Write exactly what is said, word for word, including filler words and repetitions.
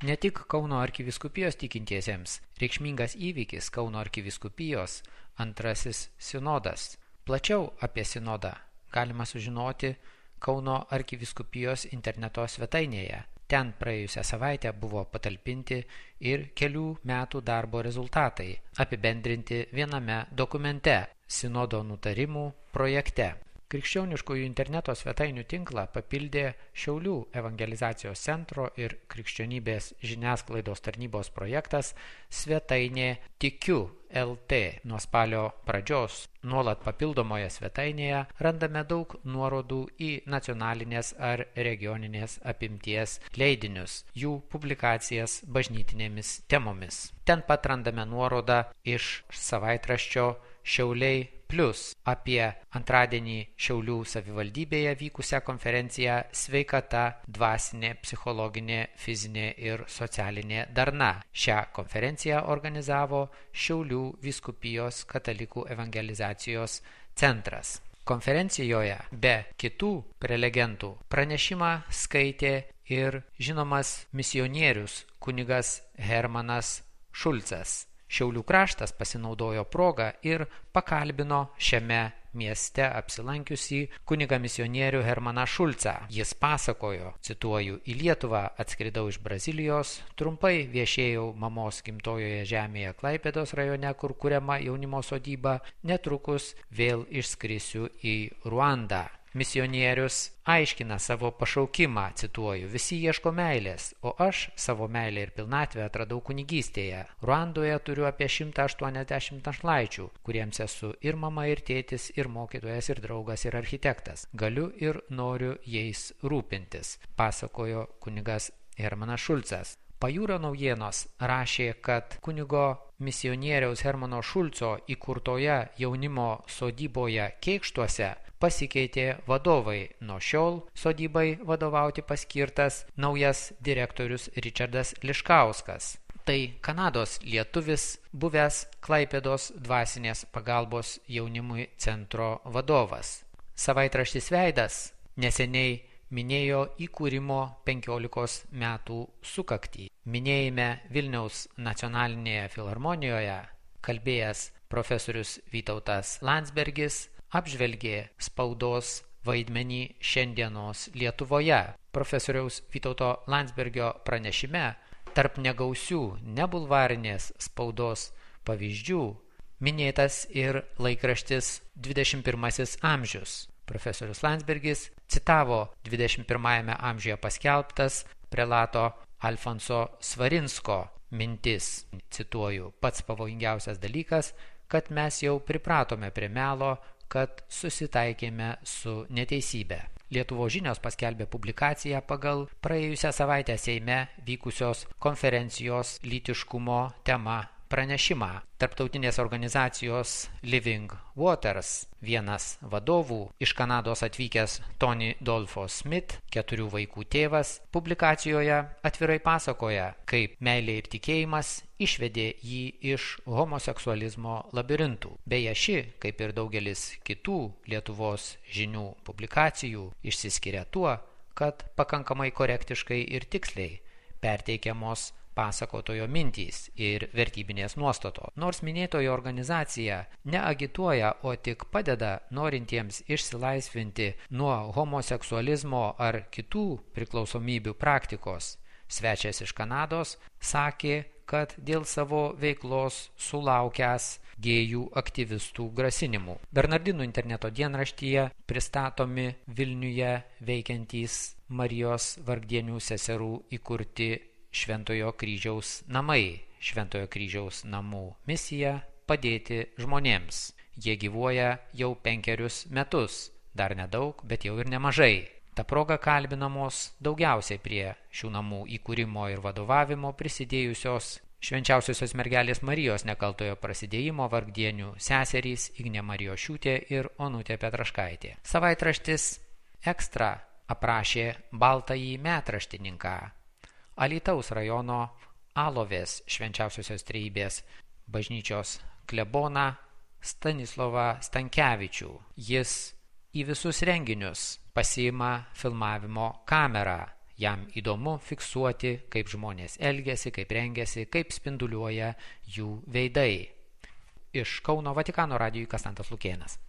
Ne tik Kauno arkivyskupijos tikintiesiems reikšmingas įvykis Kauno arkivyskupijos antrasis sinodas. Plačiau apie sinodą galima sužinoti Kauno arkivyskupijos interneto svetainėje. Ten praėjusią savaitę buvo patalpinti ir kelių metų darbo rezultatai, apibendrinti viename dokumente sinodo nutarimų projekte. Krikščioniškųjų interneto svetainių tinklą papildė Šiaulių evangelizacijos centro ir krikščionybės žiniasklaidos tarnybos projektas svetainė Tikiu L T. Nuo spalio pradžios nuolat papildomoje svetainėje randame daug nuorodų į nacionalinės ar regioninės apimties leidinius, jų publikacijas bažnytinėmis temomis. Ten pat randame nuorodą iš savaitraščio Šiauliai Plius apie antradienį Šiaulių savivaldybėje vykusią konferenciją Sveikata, dvasinė, psichologinė, fizinė ir socialinė darna. Šią konferenciją organizavo Šiaulių vyskupijos katalikų evangelizacijos centras. Konferencijoje be kitų prelegentų pranešimą skaitė ir žinomas misionierius kunigas Hermanas Šulcas. Šiaulių kraštas pasinaudojo progą ir pakalbino šiame mieste apsilankiusį kunigą misionierių Hermaną Šulcą. Jis pasakojo, cituoju, į Lietuvą atskridau iš Brazilijos, trumpai viešėjau mamos gimtojoje žemėje Klaipėdos rajone, kur kuriama jaunimo sodyba, netrukus vėl išskrisiu į Ruandą. Misionierius aiškina savo pašaukimą, cituoju, visi ieško meilės, o aš savo meilę ir pilnatvę atradau kunigystėje. Ruandoje turiu apie šimtą aštuoniasdešimt našlaičių, kuriems esu ir mama, ir tėtis, ir mokytojas, ir draugas, ir architektas. Galiu ir noriu jais rūpintis, pasakojo kunigas Hermanas Šulcas. Pajūrio naujienos rašė, kad kunigo misionieriaus Hermano Šulco įkurtoje jaunimo sodyboje Kėkštuose pasikeitė vadovai. Nuo šiol sodybai vadovauti paskirtas naujas direktorius Ričardas Liškauskas. Tai Kanados lietuvis, buvęs Klaipėdos dvasinės pagalbos jaunimui centro vadovas. Savaitraštis Veidas neseniai minėjo įkūrimo penkiolikos metų sukaktį. Minėjime Vilniaus nacionalinėje filharmonijoje kalbėjęs profesorius Vytautas Landsbergis apžvelgė spaudos vaidmenį šiandienos Lietuvoje. Profesoriaus Vytauto Landsbergio pranešime tarp negausių nebulvarinės spaudos pavyzdžių minėtas ir laikraštis dvidešimt pirmasis amžius. Profesorius Landsbergis citavo dvidešimt pirmajame amžiuje paskelbtas prelato Alfonso Svarinsko mintis. Cituoju, pats pavojingiausias dalykas, kad mes jau pripratome prie melo, kad susitaikėme su neteisybė. Lietuvos žinios paskelbė publikaciją pagal praėjusią savaitę Seime vykusios konferencijos lytiškumo tema pranešimą. Tarptautinės organizacijos Living Waters vienas vadovų iš Kanados atvykęs Tony Dolfo Smith, keturių vaikų tėvas, publikacijoje atvirai pasakoja, kaip meilė ir tikėjimas išvedė jį iš homoseksualizmo labirintų. Beje, ši, kaip ir daugelis kitų Lietuvos žinių publikacijų, išsiskiria tuo, kad pakankamai korektiškai ir tiksliai perteikiamos pasakotojo mintys ir vertybinės nuostatos. Nors minėtoji organizacija neagituoja, o tik padeda norintiems išsilaisvinti nuo homoseksualizmo ar kitų priklausomybių praktikos, svečias iš Kanados sakė, kad dėl savo veiklos sulaukęs gėjų aktyvistų grasinimų. Bernardinų interneto dienraštyje pristatomi Vilniuje veikiantys Marijos Vargdienių seserų įkurti Šventojo kryžiaus namai. Šventojo kryžiaus namų misija padėti žmonėms. Jie gyvuoja jau penkerius metus, dar nedaug, bet jau ir nemažai. Ta proga kalbinamos daugiausiai prie šių namų įkūrimo ir vadovavimo prisidėjusios Švenčiausiosios mergelės Marijos nekaltojo prasidėjimo Vargdienių seserys Ignė Marijošiūtė ir Onutė Petraškaitė. Savaitraštis Ekstra aprašė baltąjį metraštininką, Alytaus rajono Alovės Švenčiausiosios Trejybės bažnyčios kleboną Stanislovą Stankevičių. Jis į visus renginius pasiima filmavimo kamerą. Jam įdomu fiksuoti, kaip žmonės elgiasi, kaip rengiasi, kaip spinduliuoja jų veidai. Iš Kauno Vatikano radijui Kastantas Lukėnas.